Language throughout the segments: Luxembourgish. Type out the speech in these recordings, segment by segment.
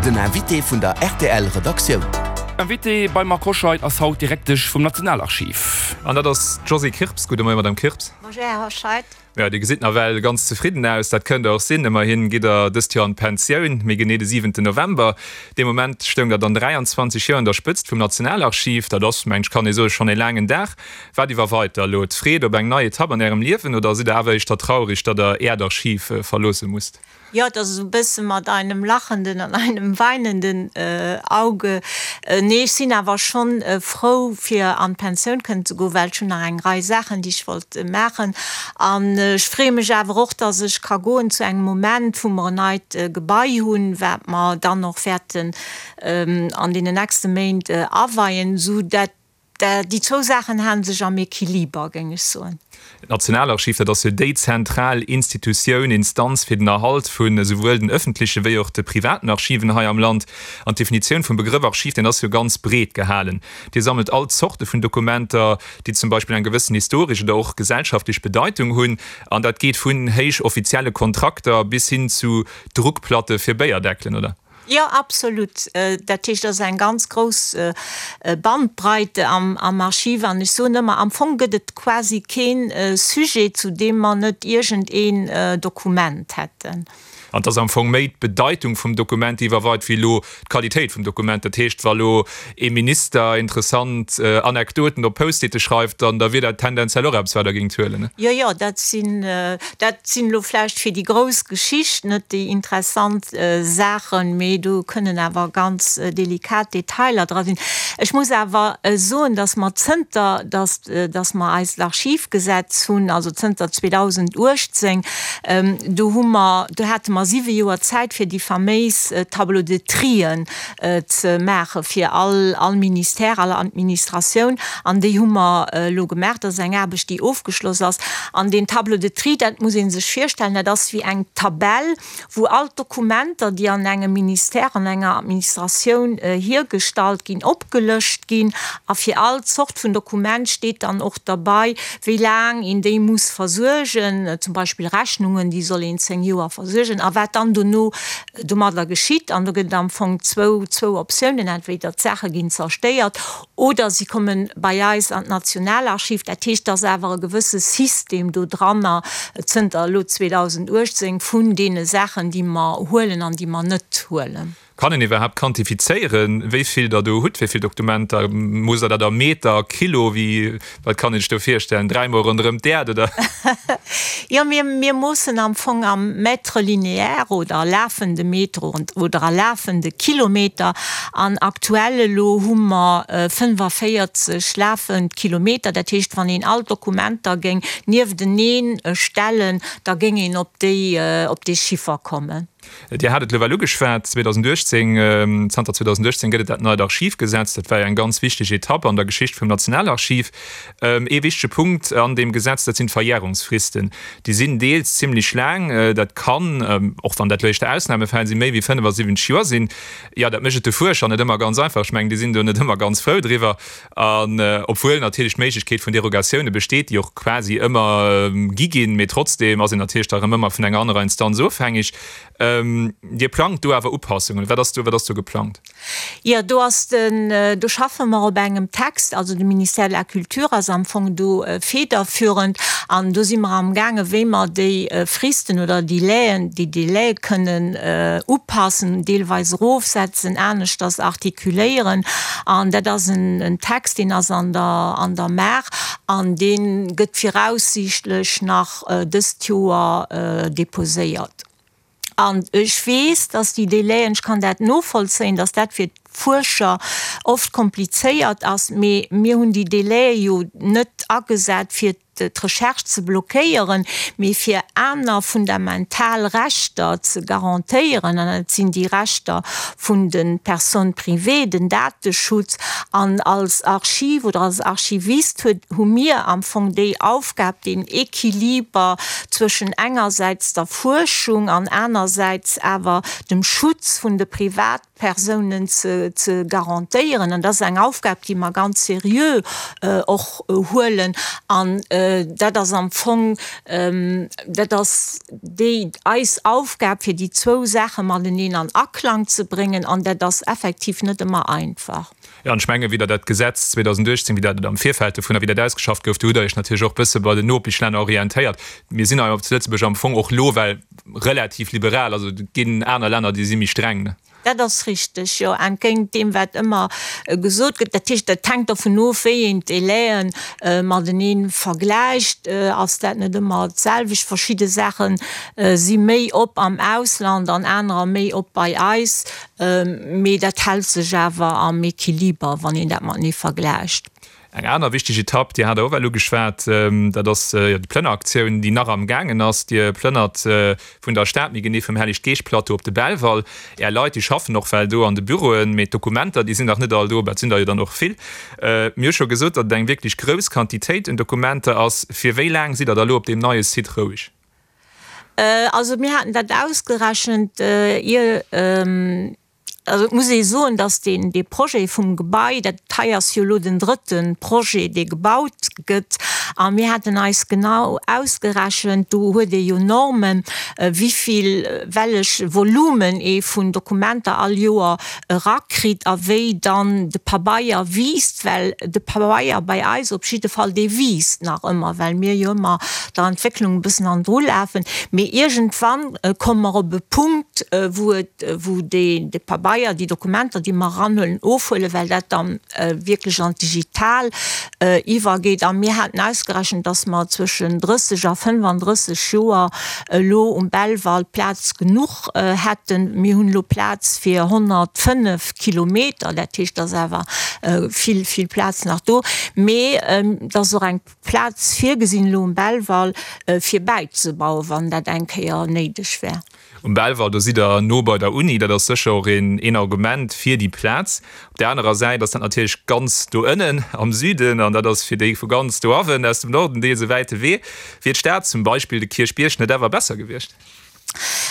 Den Invité vun der rtl Redaktioun. Invitée beim Marc Hoscheid ass haut d'Direktesch vum Nationalarchiv. An dat ass d'Josée Kirps. Gudde Moien, Madame Kirps. Bonjour, Här Hoscheid. Jo, Dir gesitt nawell ganz zefridden aus. Dat kënnt Der och sinn. Ëmmerhin gitt Der dëst Joer an d'Pensioun, méi genee de siwenten November. Dee Moment stoung Der dann 23 Joer un der Spëtzt vum Nationalarchiv. Dat ass, mengen ech, kann ee soen, schonn ee laangen Dag. Wat iwwerweit da elo d'Freed op eng nei Etapp an Ärem Liewen oder sidd Der awer éischter traurig, datt Der Äert Archiv verloosse musst? Jo, et ass esou e bësse mat einem lachenden an einem weinenden Auge. Nee, ech sinn awer schonn frou, fir an d'Pensioun kënnen ze goen, well ech hunn nach eng Rei Saachen, déi ech wollt maachen. An ech freeë mech awer och, dass ech ka goen zu engem Moment, wou mer en neit Gebai hunn, wat mer dann och wäerten an deenen nächste Méint aweien, esou dat Déi zwou Saachen halen sech am Equiliber, géing ech soen. D'Nationalarchiv, dat ass jo déi zentral Institutioun, Instanz fir den Erhalt vun esouwuel den ëffentleche wéi och de privaten Archiven hei am Land. An d'Definitioun vum Begrëff Archiv, deen ass jo ganz breet gehalen. Dir sammelt all Zorte vun Dokumenter, déi zum Beispill eng gewëssen historesch oder och gesellschaftlech Bedeitung hunn. An dat geet vun héich offizielle Kontrakter bis hin zu Druckplatte fir Béierdeckelen, oder? Jo, absolut. Dat heescht, et ass eng ganz grouss Bandbreite am Archiv. An ech soen ëmmer, am Fong gëtt et quasi kee Sujet, zu deem mer net iergendeen Dokument hätten. An et ass am Fong méi d'Bedeitung vum Dokument, déi iwwerweit, wéi elo d'Qualitéit vum Dokument. Dat heescht, wa lo ee Minister interessant Anekdoten op Post-ite schreift, dann da wier dat tendenziell och eppes, wat Der géingt huelen, ne? Jo, jo, dat sinn, dat sinn elo vläicht fir déi grouss Geschicht net déi interessant Saachen, mee do kënnen awer ganz delikat Detailer dra sinn. Ech muss awer soen, dass mer zënter dass, dass mer eist Archivgesetz hunn, also zënter 2018, do hu mer, do hate mer siwe Joer Zäit fir déi faméis Tableaux de trien ze maache fir all, all Ministère, all Administratioun. An déi hu mer elo gemaach. Dat ass eng Aarbecht, déi ofgeschloss ass. An deen Tableau de tri, dat muss ee sech virstellen, dat ass wéi eng Tabell, wou all d'Dokumenter, déi an engem Ministère, an enger Administratioun hiergestallt ginn, opgelëscht ginn. A fir all Zort vun Dokument steet dann och derbei, wéi laang een déi muss versuergen, zum Beispill Rechnungen, déi soll een 10 Joer versuergen, a wat dann dono domadder geschitt. An do gëtt et am Fong zwou, zwou Optiounen, entweder d'Saache ginn zerstéiert oder si komme bei eis an d'Nationalarchiv. Dat heescht, et ass awer e gewësse System do dranner zënter elo 2018 vun deene Saachen, déi mer huelen an déi mer net huelen. Kann een iwwerhaapt quantifizéieren, wéi vill Der do hutt, wéi vill Dokumenter? Moosst Der dat a Meter, Kilo? Wéi, wat kann een sech do virstellen? Dräimol ronderëm d'Äerd, oder? Jo, mir, mir moossen am Fong am Mètre linéaire oder a lafende Meter oder a lafende Kilometer. An aktuell elo hu mer 45 lafend Kilometer. Dat heescht, wann een all d'Dokumenter géing niefteneen stellen, da géing een op déi, op dee Chiffer kommen. Dir hat et elo well ugeschwat, 2018, zanter 2018 gëtt et dat neit Archivgesetz. Dat war jo eng ganz wichteg Etapp an der Geschicht vum Nationalarchiv. Ee wichtege Punkt an deem Gesetz, dat sinn d'Verjärungsfristen. Déi sinn deels zimlech laang. Dat kann, och wann dat elo éischter Ausnamefäll sinn, méi wéi 75 Joer sinn. Jo, dat mécht et de Fuerscher net ëmmer ganz einfach. Ech mengen, déi sinn do net ëmmer ganz frou driwwer. An obwuel natierlech d'Méiglechkeet vun Derogatioune besteet, déi och quasi ëmmer gi ginn, mee trotzdeem ass een natierlech da erëm ëmmer vun enger anerer Instanz ofhängeg. Dir plangt do awer Upassungen. Wat ass do, wat ass do geplangt? Jo, do ass den, do schaffe mer op engem Text, also de Ministère de la Culture ass am Fong do federführend an do si mer amgaangen, wéi mer déi Fristen oder Délaiën, déi Délaië kënnen upassen, deelweis erofsetzen, aneschters artikuléieren. An dat ass en Text, deen ass an der, an der Maach an dee gëtt viraussiichtlech nach dëst Joer déposéiert. An ech weess, dass déi Délaiën, ech kann dat novollzéien, dass dat fir d'Fuerscher oft komplizéiert ass, mee mir hunn déi Délaië jo net agesat, fir d'Recherche ze blockéieren, mee fir aner fundamental Rechter ze garantéieren, an dat sinn déi Rechter vun de Personnes privées, den Dateschutz. An als Archiv oder als Archivist huet, hu mir am Fong déi Aufgab, deen Equiliber zwëschen engersäits der Fuerschung an anersäits awer dem Schutz vun de Privatpersounen ze. ze garantéieren. An dat ass eng Aufgab, déi mer ganz seriö och huelen. An dat ass am Fong, dat ass déi eis Aufgab, fir déi zwou Saache mateneen an Aklang ze bréngen. An dat ass effektiv net ëmmer einfach. Jo, an ech mengen, wéi Der dat Gesetz 2018, wéi dat et am Virfeld dovunner, wéi dat ausgeschafft gouf, do hutt Der Iech natierlech och e bësse bei den Nopeschlänner orientéiert. Mir sinn hei zu Lëtzebuerg am Fong och elo well relativ liberal, also et ginn aner Länner, déi si méi streng, ne? Dat ass richteg, jo, entgéint deem, wat ëmmer gesot gëtt. Dat heescht, dat hänkt dovun of, wéi een d'Délaië matenee vergläicht, ass dat net ëmmer d'selwecht. Verschidde Saache si méi op am Ausland an anerer méi op bei eis. Mee dat hält sech awer am Equiliber, wann een dat matenee vergläicht. Eng aner wichteg Etapp, Dir hat der och elo geschwat, dat ass jo déi Plënneraktioun, déi nach am gaangen ass. Dir plënnert vun der Stad, méi genee vum Hellig-Geescht-Plateau op de Belval. Är Leit, déi schaffen och well do an de Büroen, mee d'Dokumenter, déi sinn nach net all do. Dat sinn der jo dann och vill. Mir hu scho gesot, datt et eng wierklech grouss Quantitéit un Dokumenter ass. Fir wéi laang sidd Der da elo op deem neie Site roueg? Also mir haten dat ausgerechent, ier, also et muss ee soen, datt deen, dee Projet vum Gebai, dat hei ass jo elo den drëtte Projet, dee gebaut gëtt, a mir haten eis genau ausgerechent, do huet ee jo Normen, wivill, wellech Volumen ee vun Dokumenter all Joer erakritt a wéi dann de Pabeier wiisst, well de Pabeier bei eis op jidde Fall, dee wiisst nach ëmmer, well mir jo ëmmer der Entwécklung e bëssen hannendru lafen. Mee iergendwann komme mer op e Punkt, wou et, wou dee, de Pabeier, déi Dokumenter, déi mer eranhuelen, ofhuelen, well dat dann wierklech an d'Digital iwwergeet. A mir haten ausgerechent, dass mer zwëschen 30 a 35 Joer elo um Belval Plaz genuch hätten. Mir hunn elo Plaz fir 105 Kilometer, dat heescht, et ass awer vill, vill Plaz nach do. Mee et ass och eng Plaz virgesinn elo um Belval, fir bäizebauen, wann dat eng Kéier néideg wär. Um Belval, do sidd Der no bei der Uni, dat ass sécher och een Argument fir déi Plaz. Op där anerer Säit ass dat natierlech ganz do ënnen am Süden an dat ass fir déi vu ganz doawen aus dem Norden deels e wäite Wee. Wier d'Stad, zum Beispill de Kierchbierg, net awer besser gewiescht?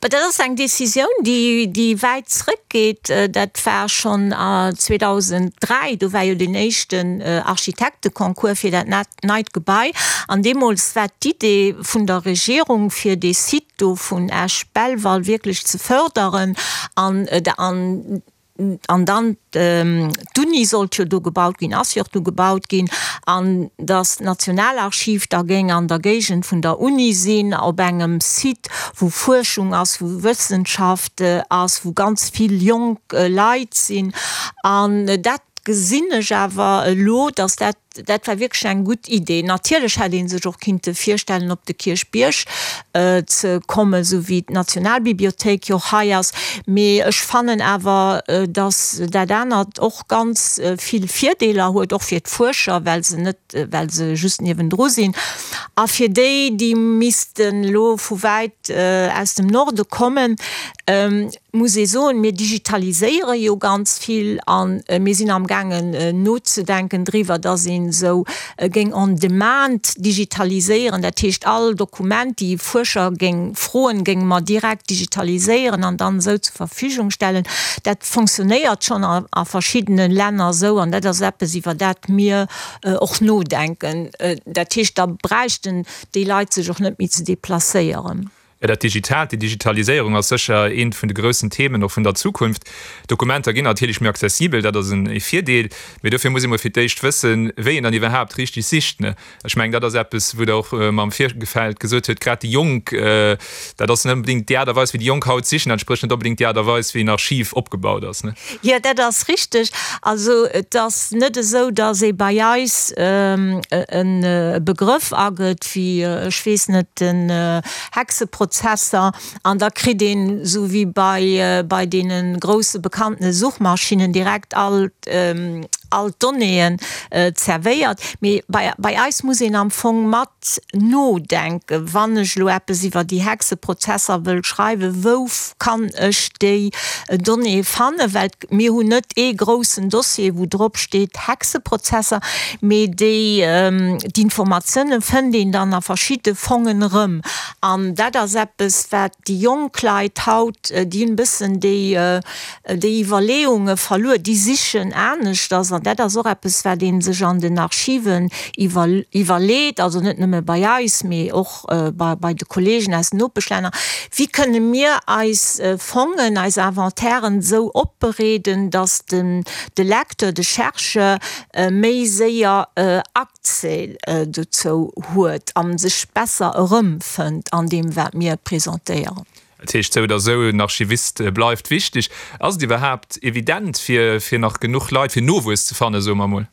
Bah, dat ass eng Décisioun, déi, déi wäit zrëckgeet. Dat war schonn 2003, do war jo deen éischten Architekteconcours fir dat neit Gebai. An deemools war d'Idee vun der Regierung, fir dee Site do vun Esch-Belval wierklech ze förderen an, an, An dann d'Uni sollt jo do gebaut ginn, ass jo och do gebaut ginn, an datt d'Nationalarchiv da géing an der Géigend vun der Uni sinn, op engem Site, wou Fuerschung ass, wou Wëssenschaft ass, wou ganz vill jonk Leit sinn. An dat gesinn ech awer elo, datt dat Dat war wierklech eng gutt Idee. Natierlech hätt ee sech och kinnte virstellen, op de Kierchbierg ze kommen, esou wéi d'Nationalbibliothéik jo och hei ass. Mee ech fannen awer, datt dat anert och ganz vill Virdeeler huet, och fir d'Fuerscher, well se net, well se just niewendru sinn. A fir déi, déi missten elo vu wäit aus dem Norde kommen, muss ee soen, mir digitaliséiere jo ganz vill a mir sinn amgaangen nozedenken driwwer, dass een esou géing on demand digitaliséieren. Dat heescht, all Dokument, déi e Fuerscher géing froen, géinge mer direkt digitaliséieren an dann esou zur Verfügung stellen. Dat fonctionnéiert schonn a verschiddene Länner esou an dat ass eppes, iwwer dat mir och nodenken. Dat heescht, da bräichten déi Leit sech och net méi ze deplacéieren. Jo, dat Digitaalt, déi Digitaliséierung ass sécher eent vun de groussen Themen och vun der Zukunft. Dokumenter ginn natierlech méi accessibel, dat ass e Virdeel, mee dofir muss ee mol fir d'éischt wëssen, wéi een dann iwwerhaapt richteg sicht, ne? Ech mengen, dat ass eppes, wou Der och mam Virgefeld gesot huet, grad déi Jonk, dat ass net onbedéngt déi Aart a Weis, wéi déi Jonk haut sichen, dat entsprécht net onbedéngt déi Aart a Weis, wéi en Archiv opgebaut ass, ne? Jo, dat ass richteg. Also et ass net esou, datt ee bei eis e Begrëff agëtt, wéi, ech weess net, den Hexeprozesser, an da kritt een, esou wéi bei, bei deene grousse bekannte Suchmaschinnen, direkt all. all d'Donnéeën zerwéiert. Mee bei bei eis muss een am Fong mat nodenken, wann ech elo eppes iwwer déi Hexeprozesser wëll schreiwen, wou kann ech déi Donnéeë fannen? Well mir hunn net ee groussen Dossier, wou drop steet Hexeprozesser, mee déi d'Informatioune fënnt een dann a verschidde Fongen erëm. An dat ass eppes, wat déi jonk Leit haut, déi hunn e bëssen déi déi Iwwerleeunge verluer, déi sichen aneschters. An dat ass och eppes, wat ee sech an den Archiven iwwerleet, also net nëmme bei eis, mee och bei de Kollegen aus den Nopeschlänner, Wéi kënne mir eis Fongen, eis Inventairen esou opbereeden, datt de Lecteur, de Chercheur méi séier Accès dozou huet a sech besser erëmfënnt an deem, wat mir presentéieren? Dat heescht sou oder sou, en Archivist bleift wichteg. Ass et iwwerhaapt evident, fir fir nach genuch Leit, fir Nowuess ze fannen, soe mer emol?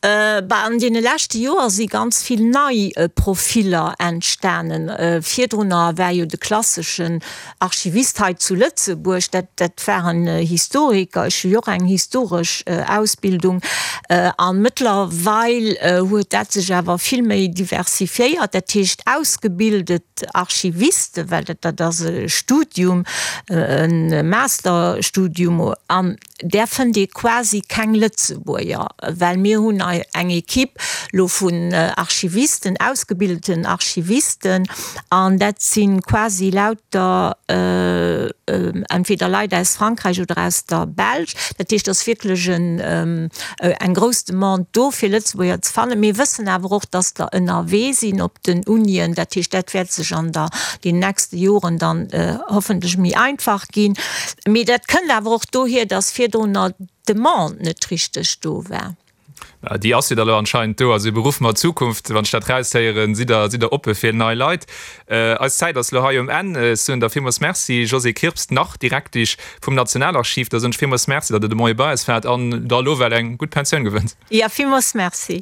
Bah, an deene leschte Joer si ganz vill nei Profiller entstanen. Virdrunner war jo de klasseschen Archivist hei zu Lëtzebuerg, dat dat waren Historiker. Ech hu jo och eng historesch Ausbildung. A mëttlerweil huet dat sech awer vill méi diversifiéiert. Dat heescht ausgebildet Archiviste, well dat dat ass e Studium, e Masterstudium, an där fënnt ee quasi keng Lëtzebuerger, well mir hunn eng Equipe lo vun Archivisten, ausgebildeten Archivisten, an dat si quasi lauter entweder Leit aus Frankräich oder aus der Belsch. Dat heescht, et ass wierklech eng grouss Demande do, fir Lëtzebuerger ze fannen. Mir wëssen awer och, dass der ënnerwee sinn op den Unien. Dat heescht, dat wäert sech an der den nächste Joren dann hoffentlech méi einfach ginn. Mee dat kënnt awer och dohier, dass virdrunner d'Demande net richteg do war. Déi ass jo da elo anscheinend do. Also e Beruff mat Zukunft, wann ech dat raushéieren, sidd Der, sidd Der oppe fir nei Leit. Eis Zäit ass elo hei um Enn. Ech soen der villmools Merci, Josée Kirps, nach Direktisch vum Nationalarchiv. Da soen ech villmools Merci, datt Der de Moie bei eis waart an der elo well eng gutt Pensioun gewënnt. Jo, villmools Merci.